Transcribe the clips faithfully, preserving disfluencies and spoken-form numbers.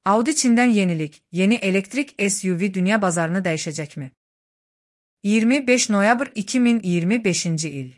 Audi Çin'den yenilik, yeni elektrik S U V dünya bazarını dəyişəcək mi? iyirmi beş noyabr iki min iyirmi beşinci il.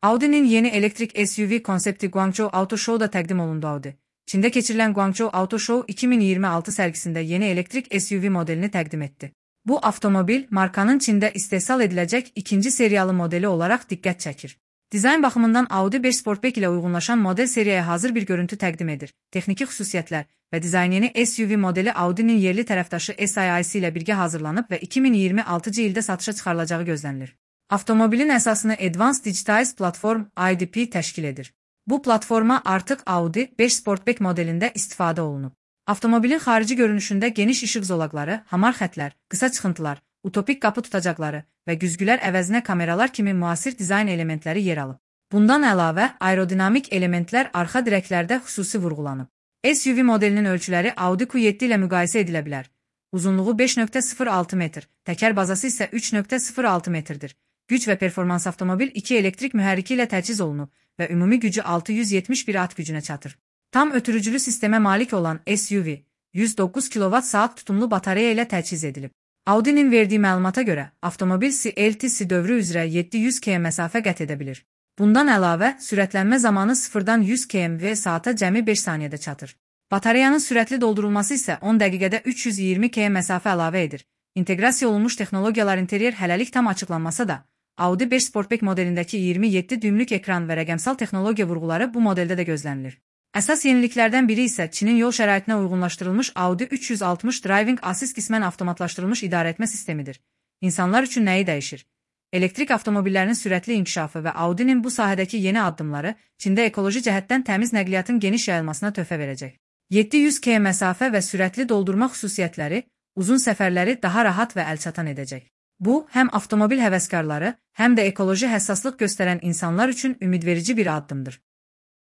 Audi'nin yeni elektrik S U V konsepti Guangzhou Auto Show'da təqdim olundu. Audi, Çində keçirilən Guangzhou Auto Show iki min iyirmi altı sərgisində yeni elektrik S U V modelini təqdim etdi. Bu avtomobil markanın Çində istehsal ediləcək ikinci seriyalı modeli olaraq diqqət çəkir. Dizayn baxımından Audi beş Sportback ilə uyğunlaşan model seriyaya hazır bir görüntü təqdim edir. Texniki xüsusiyyətlər və dizayn yeni S U V modeli Audi'nin yerli tərəfdaşı S I I ilə birgə hazırlanıb və iki min iyirmi altıncı ildə satışa çıxarılacağı gözlənilir. Avtomobilin əsasını Advanced Digitized Platform I D P təşkil edir. Bu platforma artıq Audi beş Sportback modelində istifadə olunub. Avtomobilin xarici görünüşündə geniş işıq zolaqları, hamar xətlər, qısa çıxıntılar, utopik qapı tutacaqları və güzgülər əvəzinə kameralar kimi müasir dizayn elementləri yer alıb. Bundan əlavə, aerodinamik elementlər arxa dirəklərdə xüsusi vurğulanıb. S U V modelinin ölçüləri Audi Q yeddi ilə müqayisə edilə bilər. Uzunluğu beş nöqtə sıfır altı metr, təkər bazası isə üç nöqtə sıfır altı metrdir. Güc və performans avtomobil iki elektrik mühərriki ilə təchiz olunub və ümumi gücü altı yüz yetmiş bir at gücünə çatır. Tam ötürücülü sistemə malik olan S U V, yüz doqquz kilovat saat tutumlu batareya ilə təchiz edilib. Audi'nin verdiyi məlumata görə, avtomobil C L T C dövrü üzrə yeddi yüz kilometr məsafə qət edə bilir. Bundan əlavə, sürətlənmə zamanı sıfırdan yüz kilometr saata cəmi beş saniyədə çatır. Batareyanın sürətli doldurulması isə on dəqiqədə üç yüz iyirmi kilometr məsafə əlavə edir. İnteqrasiya olunmuş texnologiyalar interyer hələlik tam açıqlanmasa da, Audi beş Sportback modelindəki iyirmi yeddi düymlük ekran və rəqəmsal texnologiya vurğuları bu modeldə də gözlənilir. Əsas yeniliklərdən biri isə Çinin yol şəraitinə uyğunlaşdırılmış Audi üç yüz altmış Driving Assist qismən avtomatlaşdırılmış idarəetmə sistemidir. İnsanlar üçün nəyi dəyişir? Elektrik avtomobillərinin sürətli inkişafı və Audi'nin bu sahədəki yeni addımları Çində ekoloji cəhətdən təmiz nəqliyyatın geniş yayılmasına töhfə verəcək. yeddi yüz kilometr məsafə və sürətli doldurma xüsusiyyətləri uzun səfərləri daha rahat və əlçatan edəcək. Bu, həm avtomobil həvəskarları, həm də ekoloji həssaslıq göstərən insanlar üçün ümidverici bir addımdır.